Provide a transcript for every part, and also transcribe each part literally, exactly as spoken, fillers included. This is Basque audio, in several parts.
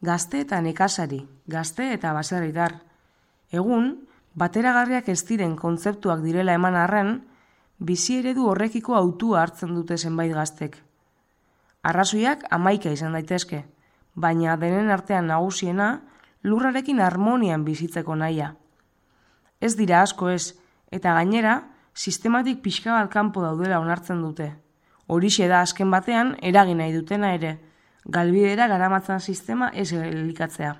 Gazte eta nekazari, gazte eta baserritar. Egun, bateragarriak ez diren kontzeptuak direla eman arren, bizi eredu horrekiko hautua hartzen dute zenbait gaztek. Arrazoiak hamaika izan daitezke, baina denen artean nagusiena lurrarekin harmonian bizitzeko nahia. Ez dira asko ez, eta gainera, sistematik pixka bat kanpo daudela onartzen dute. Horixe da azken batean eragin nahi dutena ere, galbidera garamatzan sistema ez elikatzea.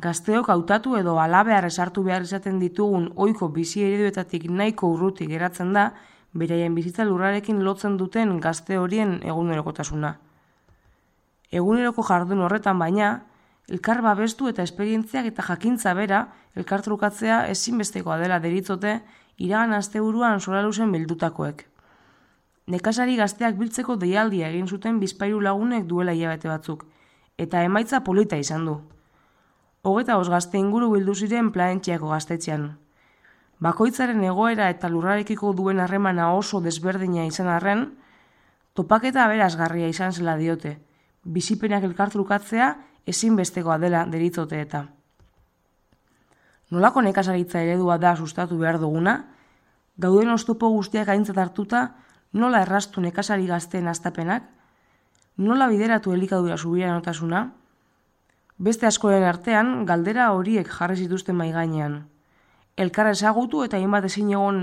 Gazteok hautatu edo halabeharra sartu behar izaten ditugun ohiko bizi ereduetatik nahiko urruti geratzen da, beraien bizitza lurrarekin lotzen duten gazte horien egunerokotasuna. Eguneroko jardun horretan baina, elkar babestu eta esperientziak eta jakintza bera elkartrukatzea ezinbestekoa dela deritzote iragan asteburuan Soraluzen bildutakoek. Nekazari gazteak biltzeko deialdia egin zuten bizpahiru lagunek duela hilabete batzuk, eta emaitza polita izan du. Hogeita bost gazte inguru bildu ziren Planetxiako gaztetxean. Bakoitzaren egoera eta lurrarekiko duen harremana oso desberdina izan arren, topaketa aberasgarria izan zela diote, bizipenak elkartrukatzea ezinbestekoa dela deritzote eta. Nolako nekazaritza eredua da sustatu behar duguna, dauden oztopo guztiak aintzat hartuta, nola erraztu nekazari gazteen hastapenak, nola bideratu elikadura subiranotasuna, beste askoren artean galdera horiek jarri zituzten mahai gainean. Elkar ezagutu eta hainbat ezin egon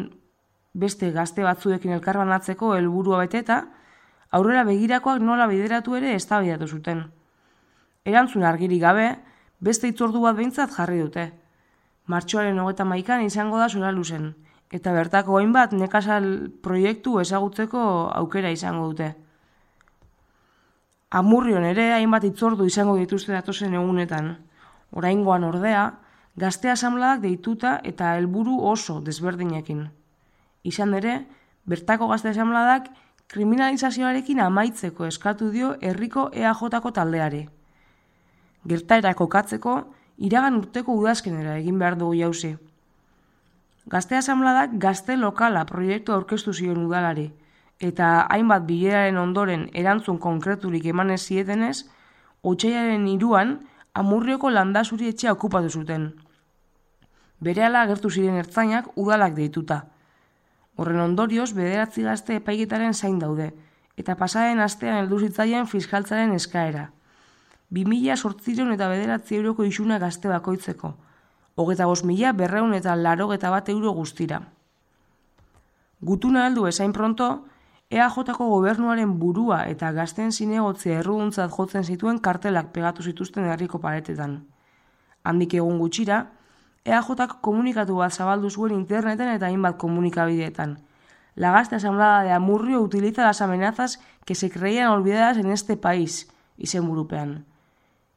beste gazte batzuekin elkarbanatzeko helburua beteta, aurrera begirakoak nola bideratu ere eztabaidatu zuten. Erantzun argirik gabe, beste hitzordu bat behintzat jarri dute. Martxoaren hogeita hamaikan izango da Soraluzen, eta bertako hainbat nekazal proiektu ezagutzeko aukera izango dute. Amurrion ere hainbat hitzordu izango dituzte datozen egunetan. Oraingoan ordea, gazte asanbladak deituta eta helburu oso desberdinekin. Izan ere, bertako gazte asanbladak kriminalizazioarekin amaitzeko eskatu dio herriko E A Jko taldeari. Gertaera kokatzeko, iragan urteko udazkenera egin behar dugu jauzi. Gazte asanbladak gazte lokala proiektu aurkeztu zion udalari, eta hainbat bileraren ondoren erantzun konkreturik eman ez zietenez, otsailaren hiruan Amurrioko landazuri etxea okupatu zuten. Berehala agertu ziren ertzainak udalak deituta. Horren ondorioz bederatzi gazte epaiketaren zain daude, eta pasaren astean heldu zitzaien fiskaltzaren eskaera. Bi mila zortziehun eta bederatzi euroko isuna gazte bakoitzeko, hogeita bost mila berrehun eta laurogeita bat euro guztira. Gutuna heldu ezain pronto, E A Jko gobernuaren burua eta gazten zinegotzea erruduntzat jotzen zituen kartelak pegatu zituzten herriko paretetan. Handik egun gutxira, E A Jk komunikatu bat zabaldu zuen interneten eta hainbat komunikabideetan. La gazte asamblea de Amurrio utiliza las amenazas que se creían olvidadas en este país, izenburupean.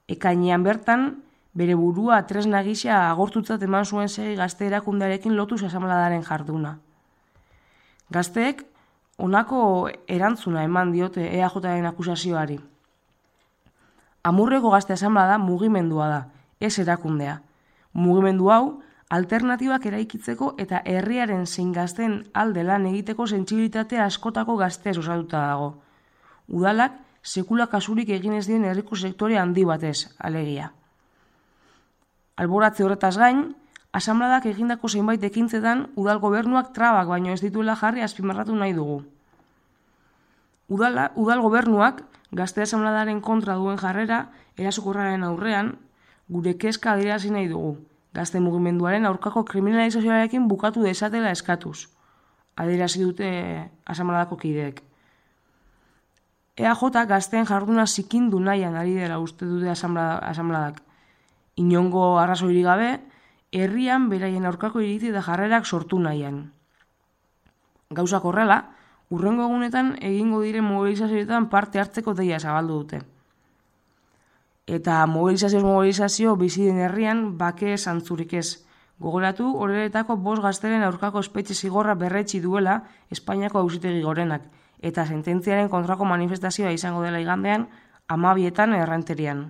Ekainean bertan, bere burua tresna gisa agortutzat eman zuen segi gazte erakundearekin lotuz asanbladaren jarduna. Gazteek honako erantzuna eman diote E A Jren akusazioari. Amurreko gazte asanblada mugimendua da, ez erakundea. Mugimendu hau alternatibak eraikitzeko eta herriaren zein gazten alde lan egiteko sentsibilitate askotako gaztez osatuta dago. Udalak sekula kasurik egin ez dien herriko sektore handi batez, alegia. Alboratze horretaz gain, asanbladak egindako zenbait ekintzetan udal gobernuak trabak baino ez dituela jarri azpimarratu nahi dugu. Udala, udal gobernuak gazte asanbladaren kontra duen jarrera erasokorraren aurrean gure kezka adierazi nahi dugu, gazte mugimenduaren aurkako kriminalizazioarekin bukatu desatela eskatuz, adierazi dute asanbladako kideek. E A J gazteen jarduna zikindu nahian ari dela uste dute asanbladak. Inongo arrazoirik gabe, herrian beraien aurkako iritzi eta jarrerak sortu nahian. Gauzak horrela, hurrengo egunetan egingo diren mobilizazioetan parte hartzeko deia zabaldu dute. Eta mobilizazioz mobilizazio bizi den herrian bake zantzurik ez. Gogoratu horretako bost gazteren aurkako espetxe zigorra berretsi duela Espainiako Auzitegi Gorenak, eta sententziaren kontrako manifestazioa izango dela igandean hamabietan Errenterian.